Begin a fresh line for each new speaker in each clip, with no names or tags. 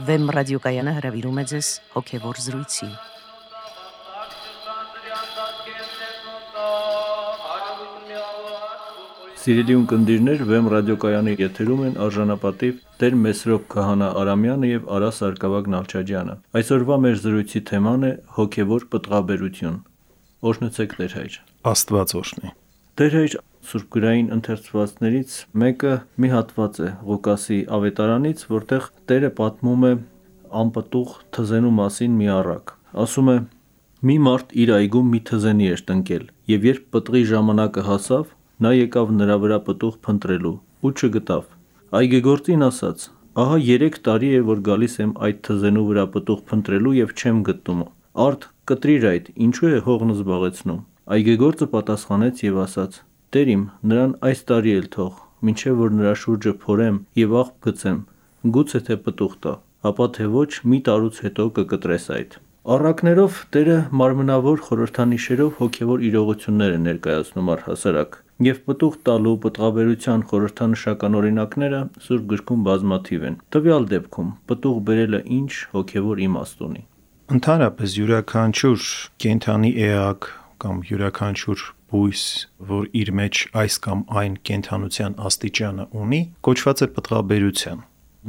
Վեմ ռադիոկայանը հրավիրում է ձեզ հոգևոր զրույցի։
Սիրելի ունկնդիրներ, Վեմ ռադիոկայանի եթերում են արժանապատիվ Տեր Մեսրոպ Քահանա Արամյանը եւ Արա Սարգսակ Նալչաջյանը։ Այսօրվա մեր զրույցի թեման է հոգևոր պտղաբերություն։ Օրհնեցեք Տեր հայր։
Աստված օրհնի։
Տեր հայր, սուրբգրային ընթերցվածներից մեկը մի հատված է Ղուկասի ավետարանից, որտեղ Տերը պատմում է անպտուղ թզենու մասին մի առակ։ Ասում է. մի մարդ իր այգում մի թզենի էր տնկել, եւ երբ պտղի ժամանակը հասավ, նա եկավ նրա վրա պտուղ փնտրելու ու չգտավ։ Այգեգործին ասաց. ահա 3 տարի է, որ գալիս եմ այդ թզենու վրա պտուղ փնտրելու եւ չեմ գտնում։ Արդ կտրիր այդ, ինչու է հողն զբաղեցնում։ Այգեգործը պատասխանեց եւ ասաց. Տեր իմ, նրան այս տարի էլ թող, մինչև որ նրա շուրջը փորեմ եւ աղբ գցեմ, գուցե թե պտուղ տա, ապա թե ոչ մի տարուց հետո կկտրես այդ։ Առակներով Տերը մարմնավոր խորհրդանիշերով հոգևոր իրողություններ է ներկայացնում առհասարակ, եւ պտուղ տալու պտղաբերության խորհրդանշական օրինակները Սուրբ գրքում բազմաթիվ են։ Տվյալ դեպքում պտուղ բերելը ինչ հոգևոր իմաստ ունի։
Ընդհանրապես յուրաքանչյուր կենդանի էակ կամ յուրաքանչյուր բույս, որ իր մեջ այս կամ այն կենդանության աստիճանը ունի, կոչված է պտղաբերության։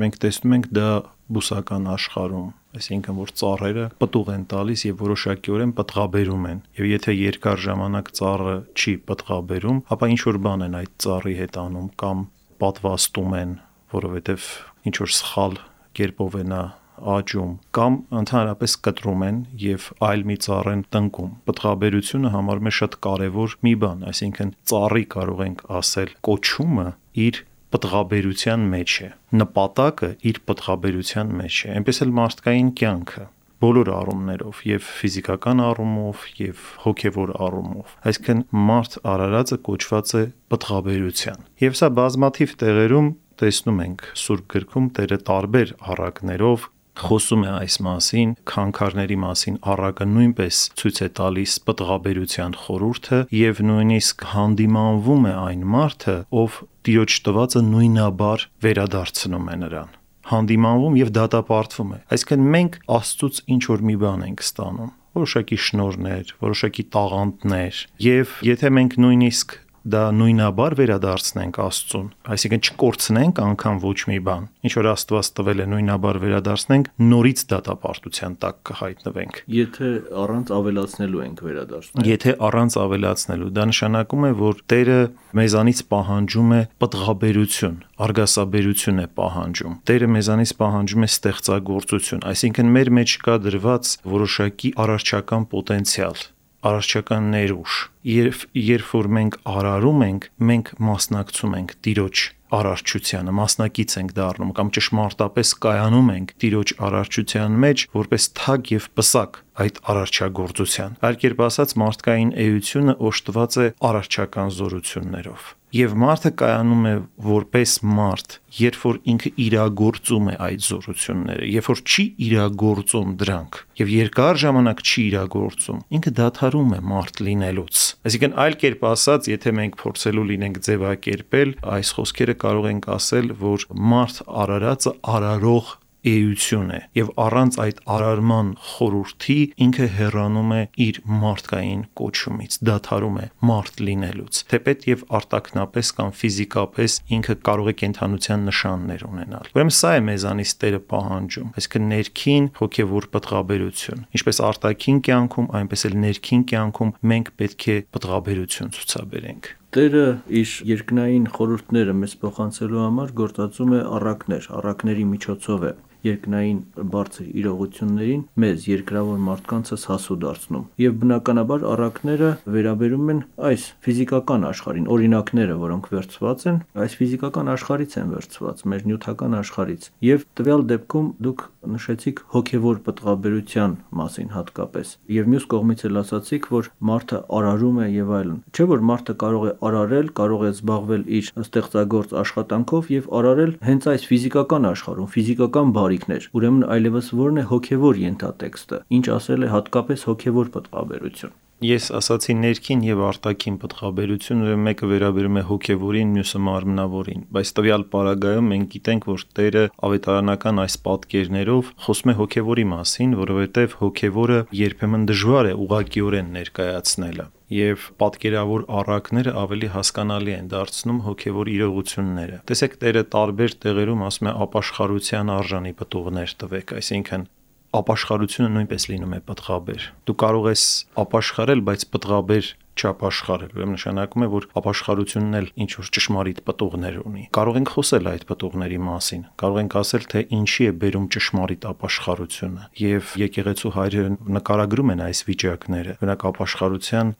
Մենք տեսնում ենք դա բուսական աշխարհում, այսինքն որ ծառերը պտուղ են տալիս եւ որոշակիորեն պտղաբերում են։ Եվ եթե երկար ժամանակ ծառը չի պտղաբերում, ապա ինչ որ բան են այդ ծառի հետ անում կամ պատվաստում են, որովհետեւ ինչ որ սխալ կերպով է նա աճում կամ ընդհանրապես կտրում են եւ այլ մի ծառ են տնկում։ Պտղաբերությունը համարվում է շատ կարեւոր մի բան, այսինքն ծառի կարող ենք ասել կոչումը իր պտղաբերության մեջ է, նպատակը իր պտղաբերության մեջ է, այնպես էլ մարդկային կյանքը բոլոր առումներով եւ ֆիզիկական առումով եւ հոգեվոր առումով։ Այսինքն մարդ արարածը կոչված է պտղաբերության։ Եվ սա բազմաթիվ տեղերում տեսնում ենք Սուրբ գրքում Տերը տարբեր առակներով խոսում է այս մասին, քանքարների մասին առակը նույնպես ցույց է տալիս պտղաբերության խորհուրդը եւ նույնիսկ հանդիմանվում է այն մարդը, ով Տիրոջ տվածը նույնաբար վերադարձնում է նրան։ Հանդիմանվում եւ դատապարտվում է։ Այսինքն մենք Աստծուց ինչ որ մի բան ենք ստանում, որոշակի շնորհներ, որոշակի տաղանդներ, եւ եթե մենք նույնիսկ դա նույնաբար վերադարձնենք Աստծուն, այսինքն չկորցնենք անգամ ոչ մի բան, ինչ որ Աստված տվել է նույնաբար վերադարձնենք, նորից դատապարտության տակ կհայտնվենք։
Եթե առանց ավելացնելու ենք վերադարձնում։
Եթե առանց ավելացնելու, դա նշանակում է, որ Տերը մեզանից պահանջում է պտղաբերություն, արգասաբերություն է պահանջում։ Տերը մեզանից պահանջում է ստեղծագործություն, այսինքն մեր մեջ կա դրված որոշակի արարչական պոտենցիալ, արարչական ներուժ։ Երբ որ մենք արարում ենք, մենք մասնակցում ենք Տիրոջ արարչությանը, մասնակից ենք դառնում կամ ճշմարտապես կայանում ենք Տիրոջ արարչության մեջ որպես թագ եւ պսակ այդ արարչագործության։ Այլ կերպ ասած, մարդկային էությունը օժտված է արարչական զորություններով։ Եվ մարդը կայանում է որպես մարդ, երբ որ ինքը իրագործում է այդ զորությունները, երբ որ չի իրագործում դրանք եւ երկար ժամանակ չի իրագործում, ինքը դադարում է մարդ լինելուց։ Այսինքն այլ կերպ ասած, եթե մենք փորձելու լինենք ձևակերպել, այս խոսքերը կարող ենք ասել, որ մարդ արարածը արարող էություն է եւ առանց այդ արարման խորհրդի ինքը հեռանում է իր մարդկային կոչումից, դադարում է մարդ լինելուց, թեպետ եւ արտաքնապես կամ ֆիզիկապես ինքը կարող է կենդանության նշաններ ունենալ։ Ուրեմն սա է մեզանից Տերը պահանջում, այսինքն ներքին հոգեվոր պտղաբերություն, ինչպես արտաքին կյանքում, այնպես էլ ներքին կյանքում մենք պետք է պտղաբերություն ցուցաբերենք։
Տերը իր երկնային խորհուրդները մեզ փոխանցելու համար գործածում է առակների միջոցով է երկնային բարձր իրողություններին մեզ երկրավոր մարդկանցս հասու դարձնում։ Եվ բնականաբար առակները վերաբերում են այս ֆիզիկական աշխարհին, օրինակները, որոնք վերցված են, այս ֆիզիկական աշխարհից են վերցված, մեր նյութական աշխարհից։ Եվ տվյալ դեպքում դուք նշեցիք հոգևոր պտղաբերության մասին հատկապես։ Եվ մյուս կողմից էլ ասացիք, որ մարդը արարում է եւ այլն։ Չէ՞ որ մարդը կարող է արարել, կարող է զբաղվել իր ստեղծագործ աշխատանքով եւ արարել հենց այս ֆիզիկական աշխարհում, ֆիզիկական բարիքներ։ Ուրեմն այլևս ո՞րն է հոգևոր ենթատեքստը, ինչ ասել է հատկապես հոգևոր պտղաբերություն։
Ես ասացի ներքին եւ արտաքին պտղաբերություն, ուրեմն մեկը վերաբերում է հոգեվորին, մյուսը մարմնավորին, բայց տվյալ պարագայում մենք գիտենք, որ Տերը ավետարանական այս պատկերներով խոսում է հոգեվորի մասին, որովհետեւ հոգեվորը երբեմն դժվար է ուղղակիորեն ներկայացնելը եւ պատկերավոր առակները ավելի հասկանալի են դարձնում հոգեվոր իրողությունները։ Տեսեք, Տերը տարբեր տեղերում ասում է ապաշխարության արժանի պտուղներ տվեք, այսինքն ապաշխարությունը նույնպես լինում է պտղաբեր։ Դու կարող ես ապաշխարել, բայց պտղաբեր չապաշխարել։ Ուրեմն նշանակում է, որ ապաշխարությունն էլ ինչ որ ճշմարիտ պտուղներ ունի։ Կարող ենք խոսել այդ պտուղների մասին։ Կարող ենք ասել, թե ինչի է բերում ճշմարիտ ապաշխարությունը։ Եվ եկեղեցու հայրերը նկարագրում են այս վիճակները։ Օրինակ ապաշխարության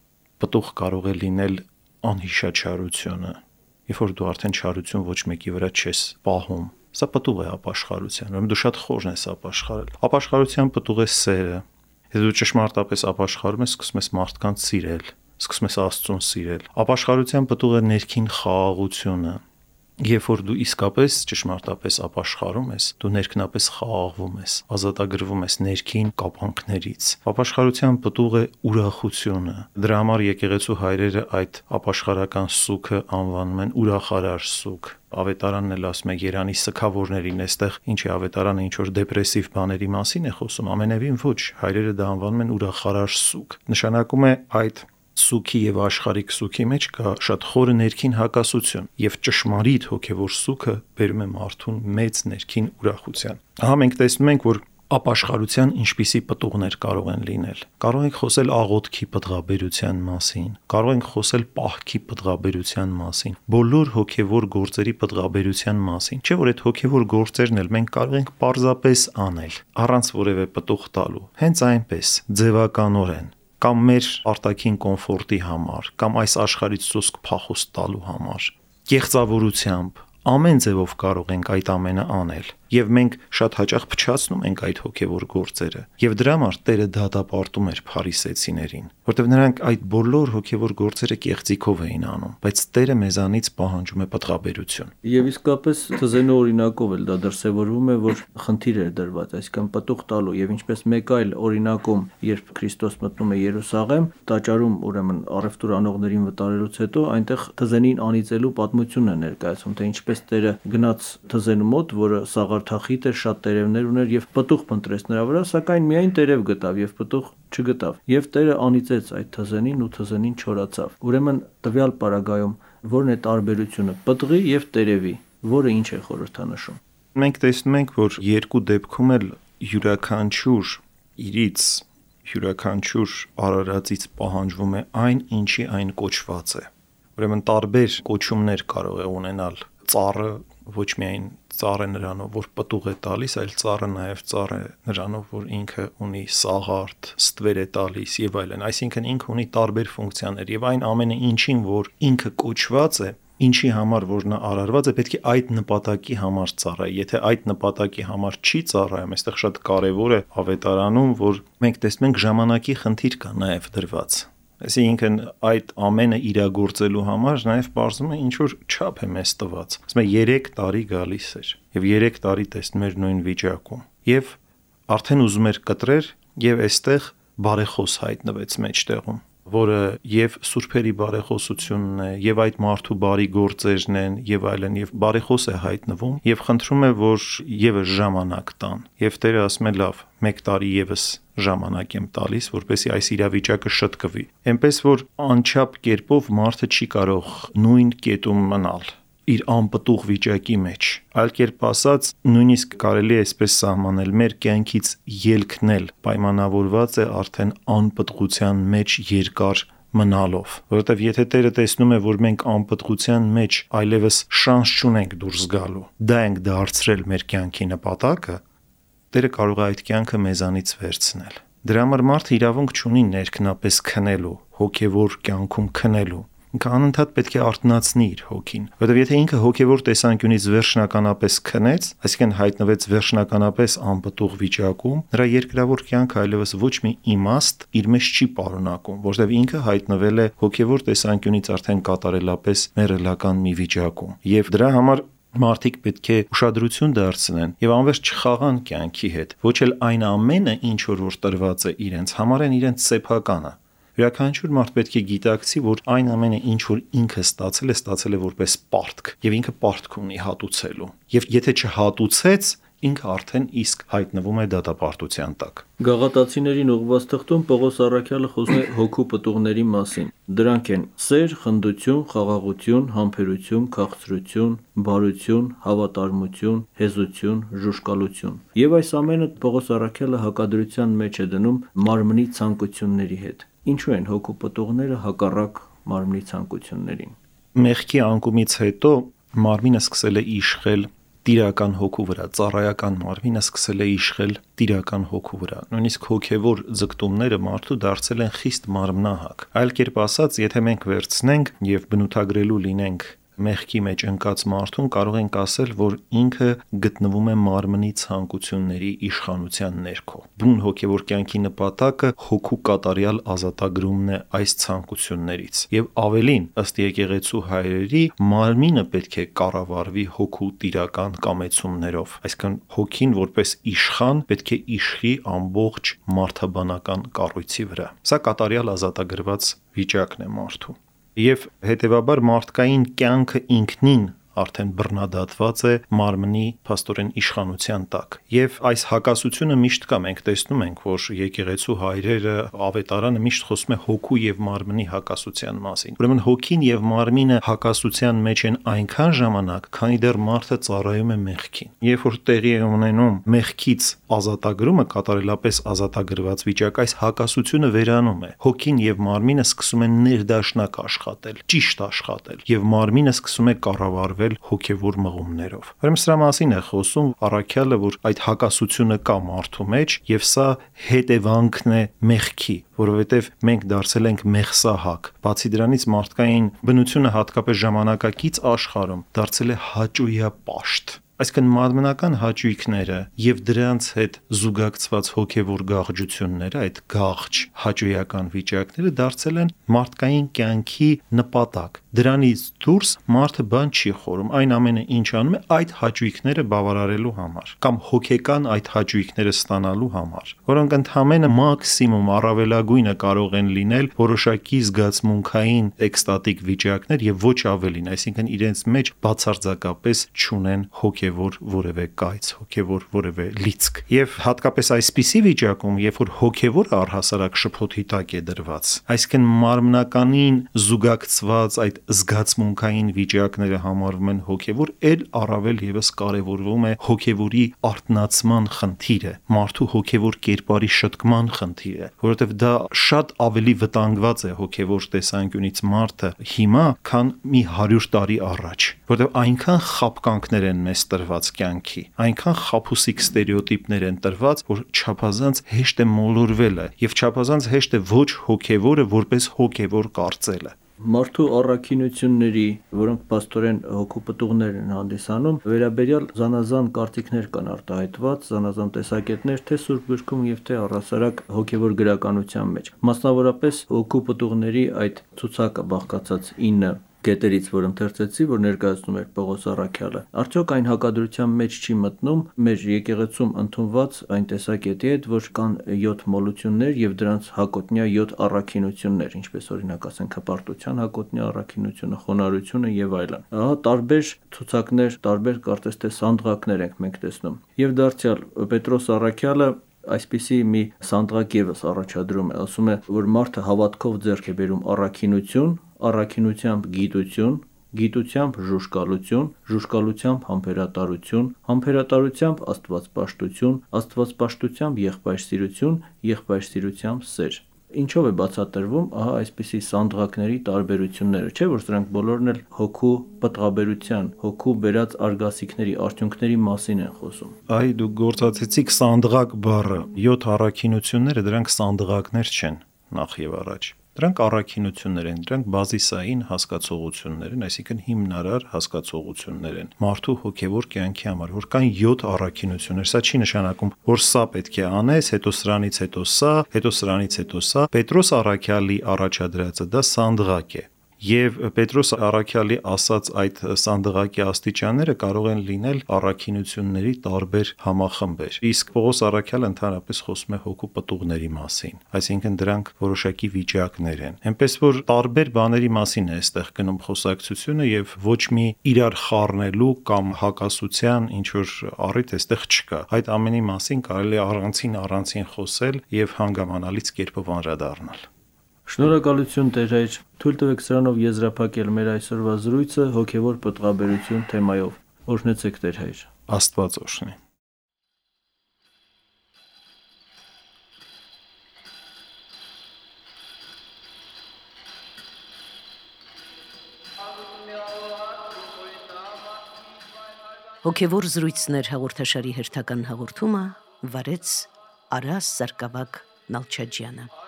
պտուղ կարող է լինել անհիշաչարությունը։ Երբ որ դու արդեն չարություն ոչ մեկի վրա չես պահում, սա պտուղ է ապաշխարության, ուրեմն դու շատ խորն ես ապաշխարել։ Ապաշխարության պտուղ է սերը։ Եթե դու ճշմարտապես ապաշխարում ես, սկսում ես մարդկանց սիրել, սկսում ես Աստծուն սիրել։ Ապաշխարության պտուղ է ներքին խաղաղությունը։ Երբ որ դու իսկապես ճշմարտապես ապաշխարում ես, դու ներքնապես խաղաղվում ես, ազատագրվում ես ներքին կապանքներից։ Ապաշխարության պտուղ է ուրախությունը։ Դրա համար եկեղեցու հայրերը այդ ապաշխարական սուգը անվանում են ուրախարար սուգ։ Ավետարանն էլ ասում է Երանի սքավորներին, այստեղ ինչ է ավետարանը ինչ որ դեպրեսիվ բաների մասին է խոսում, ամենևին ոչ, հայրերը դա անվանում են ուրախարար սուգ։ Նշանակում է այդ սուգի եւ աշխարհիկ սուգի մեջ կա շատ խորը ներքին հակասություն եւ ճշմարիտ հոգեվոր սուգը բերում է մարդուն մեծ ներքին ուրախության։ Ահա մենք տեսնում ենք, որ ապաշխարության ինչպիսի պտուղներ կարող են լինել։ Կարող ենք խոսել աղոթքի պտղաբերության մասին, կարող ենք խոսել պահքի պտղաբերության մասին, բոլոր հոգեվոր գործերի պտղաբերության մասին։ Չէ՞ որ այդ հոգեվոր գործերն էլ մենք կարող ենք պարզապես անել, առանց որևէ պտուղ տալու։ Հենց այնպես, ձևականորեն, կամ մեր արտաքին կոմֆորտի համար, կամ այս աշխարհից սոսկ փախուստ տալու համար, կեղծավորությամբ, ամեն ձևով կարող ենք այդ ամենը անել, եւ մենք շատ հաճախ փչացնում ենք այդ հոգեվոր գործերը, եւ դրա համար Տերը դատապարտում էր փարիսեցիներին, որտեղ նրանք այդ բոլոր հոգեվոր գործերը կեղծիքով էին անում, բայց Տերը մեզանից պահանջում է պտղաբերություն։
Եվ իսկապես թզենու օրինակով էլ դա դրսևորվում է, որ խնդիր էր դրված, այսինքն պտուղ տալու, եւ ինչպես մեկ այլ օրինակում, երբ Քրիստոս մտնում է Երուսաղեմ, տաճարում ուրեմն առևտուր անողներին վտարելուց հետո այնտեղ թզենին անիծելու պատմությունն է ներկայացում, թե ինչպես Տերը գնաց թզենու մոտ, որը սաղարթախիտ էր, շատ տերևներ ուներ եւ պտուղ փնտրեց նրա վրա, սակայն միայն տերև գտավ եւ պտուղ չգտավ։ Եվ Տերը անիծեց այդ թզենին ու թզենին չորացավ։ Ուրեմն տվյալ պարագայում որն է տարբերությունը պտղի եւ տերևի, որը ինչ է խորհրդանշում։
Մենք տեսնում ենք, որ երկու դեպքում էլ յուրաքանչյուր իրից, յուրաքանչյուր արարածից պահանջվում է այն, ինչի այն կոչված է։ Ուրեմն տարբեր կոչումներ կարող է ունենալ ծառը, ոչ միայն ծառ է նրանով, որ պտուղ է տալիս, այլ ծառը նաև ծառ է նրանով, որ ինքը ունի սաղարթ, ստվեր է տալիս եւ այլն։ Այսինքն ինքը ունի տարբեր ֆունկցիաներ եւ այն ամենը ինչին, որ ինքը կոչված է, ինչի համար որ նա արարված է, պետք է այդ նպատակի համար ծառայի։ Եթե այդ նպատակի համար չի ծառայում, այստեղ շատ կարեւոր է ավետարանում, որ մենք տեսնում ենք ժամանակի խնդիր կա նաև դրված։ Այսինքն այդ ամենը իրագործելու համար նաև բարձում է ինչ որ չափ է մեզ տված։ Ասում է 3 տարի գալիս էր եւ 3 տարի տեսնում էր նույն վիճակում։ Եվ արդեն ուզում էր կտրեր եւ այստեղ բարեխոս հայտնվեց մեջտեղում, որը եւ սուրբերի բարեխոսությունն է, եւ այդ մարդու բարի գործերն են, եւ այլն, եւ բարեխոս է հայտնվում, եւ խնդրում է, որ եւս ժամանակ տան։ Եվ Տերը ասում է՝ լավ, 1 տարի եւս ժամանակ եմ տալիս, որպեսզի այս իրավիճակը շտկվի։ Էնպես որ անչափ կերպով մարդը չի կարող նույն կետում մնալ իր անպտուղ վիճակի մեջ։ Այլ կերպ ասած, նույնիսկ կարելի է այսպես սահմանել, մեր կյանքից ելքն էլ պայմանավորված է արդեն անպտղության մեջ երկար մնալով, որովհետև եթե Տերը տեսնում է, որ մենք անպտղության մեջ այլևս շանս չունենք դուրս գալու, դա ենք դարձրել մեր կյանքի նպատակը, Տերը կարող է այդ կյանքը մեզանից վերցնել։ Դրա համար մարդը իրավունք չունի ներքնապես քնելու, հոգևոր կյանքում քնելու։ Ինքը անընդհատ պետք է արթնացնի իր հոգին, որովհետև եթե ինքը հոգևոր տեսանկյունից վերջնականապես քնեց, այսինքն հայտնվեց վերջնականապես անպտուղ վիճակում, նրա երկրավոր կյանքը այլևս ոչ մի իմաստ իր մեջ չի պարունակում, որովհետև ինքը հայտնվել է հոգևոր տեսանկյունից արդեն կատարելապես մեռելական մի վիճակում։ Եվ դրա համար մարդիկ պետք է ուշադրություն դարձնեն եւ անվերջ չխաղան կյանքի հետ, ոչ էլ այն ամենը, ինչ որ տրված է իրենց, համարեն իրենց սեփականը։ Յուրաքանչյուր մարդ պետք է գիտակցի, որ այն ամենը, ինչ որ ինքը ստացել է որպես պարտք, եւ ինքը պարտք ունի հատուցելու։ Եվ եթե չհատուցեց, ինքը արդեն իսկ հայտնվում է դատապարտության տակ։
Գաղատացիներին ուղղված թղթում Պողոս Առաքյալը խոսում է հոգու պտուղների մասին։ Դրանք են սեր, խնդություն, խաղաղություն, համբերություն, քաղցրություն, բարություն, հավատարմություն, հեզություն, ժուժկալություն։ Եվ այս ամենը Պողոս Առաքյալը հակադրության մեջ է դնում մարմնի ցանկությունների հետ։ Ինչու են հոգու պտուղները հակառակ մարմնի ցանկություններին։
Մեղքի անկումից հետո մարմինը սկսել է իշխել տիրական հոգու վրա, ծառայական մարմինը սկսել է իշխել տիրական հոգու վրա։ Նույնիսկ հոգևոր ձգտումները մարդու դարձել են խիստ մարմնահակ։ Այլ կերպ ասած, եթե մենք վերցնենք եւ բնութագրելու լինենք մեղքի մեջ ընկած մարդուն, կարող ենք ասել, որ ինքը գտնվում է մարմնի ցանկությունների իշխանության ներքո։ Բուն հոգևոր կյանքի նպատակը հոգու կատարյալ ազատագրումն է այս ցանկություններից։ Եվ ավելին, ըստ եկեղեցու հայրերի, մարմինը պետք է կառավարվի հոգու տիրական կամեցումներով։ Այսինքն հոգին որպես իշխան պետք է իշխի ամբողջ մարդաբանական կառույցի վրա։ Սա կատարյալ ազատագրված վիճակն է մարդու։ Եվ հետևաբար մարդկային կյանքը ինքնին արդեն բռնադատված է մարմնի փաստորեն իշխանության տակ։ Եվ այս հակասությունը միշտ կա, մենք տեսնում ենք, որ եկեղեցու հայրերը, ավետարանը միշտ խոսում է հոգու եւ մարմնի հակասության մասին։ Ուրեմն հոգին եւ մարմինը հակասության մեջ են այնքան ժամանակ, քանի դեռ մարդը ծառայում է մեղքին։ Երբ որ տեղի է ունենում մեղքից ազատագրումը, կատարելապես ազատագրված վիճակ, այս հակասությունը վերանում է։ Հոգին եւ մարմինը սկսում են ներդաշնակ աշխատել, ճիշտ աշխատել, եւ մարմինը սկսում է կառավարվել հոգևոր մղումներով։ Ուրեմն սրա մասին է խոսում Առաքյալը, որ այդ հակասությունը կա մարդու մեջ եւ սա հետևանքն է մեղքի, որովհետեւ մենք դարձել ենք մեղսահակ։ Բացի դրանից մարդկային բնությունը հատկապես ժամանակակից աշխարհում դարձել է հաճույապաշտ։ Այսինքն մարմնական հաճույքները եւ դրանց հետ զուգակցված հոգեվոր գաղջությունները, այդ գաղջ հաճույական վիճակները դարձել են մարդկային կյանքի նպատակ։ Դրանից դուրս մարդը բան չի խորում, այն ամենը ինչ անում է այդ հաճույքները բավարարելու համար կամ հոգեկան այդ հաճույքները ստանալու համար, որոնք ընդհանրապես մաքսիմում առավելագույնը կարող են լինել որոշակի զգացմունքային էկստատիկ վիճակներ եւ ոչ ավելին, այսինքն իրենց մեջ բացարձակապես չունեն հոգևոր որևէ կայծ, հոգևոր որևէ լիցք։ Եվ հատկապես այսպիսի վիճակում, երբ որ հոգևորը առհասարակ շփոթի տակ է դրված, այսինքն մարմնականին զուգակցված այդ զգացմունքային վիճակները համարվում են հոգևոր, ել առավել եւս կարեւորվում է հոգևորի արթնացման խնդիրը, մարդու հոգևոր կերպարի շտկման խնդիրը, որովհետեւ դա շատ ավելի վտանգված է հոգևոր տեսանկյունից մարդը հիմա, քան մի 100 տարի առաջ, որովհետեւ այնքան խապկանքներ են մեզ տրված կյանքի, այնքան խաբուսիկ ստերեոտիպներ են տրված, որ չափազանց հեշտ է մոլորվելը եւ չափազանց հեշտ է ոչ հոգևորը որպես հոգևոր կարծելը։
Մարդու առաքինությունների, որոնք պաստորեն հոգու պտուղներ են հանդիսանում, վերաբերյալ զանազան կարծիքներ կան արտահայտված, զանազան տեսակետներ թե Սուրբ գրքում եւ թե առհասարակ հոգևոր գրականության մեջ։ Մասնավորապես հոգու պտուղների այդ ցուցակը բաղկացած 9 կետերից, որ ընթերցեցի, որ ներկայացնում էր Պողոս Առաքյալը, արդյոք այն հակադրության մեջ չի մտնում մեր եկեղեցում ընդունված այն տեսակետի հետ, որ կան 7 մոլություններ եւ դրանց հակոտնյա 7 առաքինություններ, ինչպես օրինակ ասենք հպարտության հակոտնյա առաքինությունը, խոնարհությունը եւ այլն։ Ահա տարբեր ցուցակներ, տարբեր կարծես թե սանդղակներ ենք մենք տեսնում։ Եվ դարձյալ Պետրոս Առաքյալը այսպիսի մի սանդղակ եւս առաջադրում է, ասում է, որ մարդը հավատքով ձեռք է բերում առաքինություն, առաքինությամբ գիտություն, գիտությամբ ժուժկալություն, ժուժկալությամբ համբերատարություն, համբերատարությամբ աստվածպաշտություն, աստվածպաշտությամբ եղբայրսիրություն, եղբայրսիրությամբ սեր։ Ինչով է բացատրվում ահա այսպիսի սանդղակների տարբերությունները, չէ՞ որ սրանք բոլորն էլ հոգու պտղաբերության, հոգու բերած արգասիքների, արդյունքների մասին են խոսում։
Այ դուք գործածեցիք սանդղակ բառը, 7 առաքինությունները դրանք սանդղակներ չեն, նախ եւ առաջ։ Դրանք առաքինություններ են, դրանք բազիսային հասկացողություններ են, այսինքն հիմնարար հասկացողություններ են մարդու հոգևոր կյանքի համար, որ կան 7 առաքինություններ։ Սա չի նշանակում, որ սա պետք է անես, հետո սրանից հետո սա, հետո սրանից հետո սա։ Պետրոս Առաքյալի առաջադրածը դա սանդղակ է։ եւ Պետրոս Առաքյալի ասած այդ սանդղակի աստիճանները կարող են լինել առաքինությունների տարբեր համախմբեր։ Իսկ Պողոս Առաքյալը ընդհանրապես խոսում է հոգու պտուղների մասին, այսինքն դրանք որոշակի վիճակներ են։ Էնպես որ տարբեր բաների մասին է այստեղ գնում խոսակցությունը եւ ոչ մի իրար խառնելու կամ հակասության ինչ որ առիթ այստեղ չկա։ Այդ ամենի մասին կարելի է առանցին խոսել եւ հանգամանալից կերպով անդրադառնալ։
Շնորհակալություն Տեր, թույլ տվեք սրանով եզրափակել մեր այսօրվա զրույցը հոգևոր պտղաբերություն թեմայով։ Օրհնեցեք Տեր Հայր։
Աստված օրհնի։
Հոգևոր զրույցներ հաղորդաշարի հերթական հաղորդումը վարեց Արաս Սարգսակ Նալչաջյանը։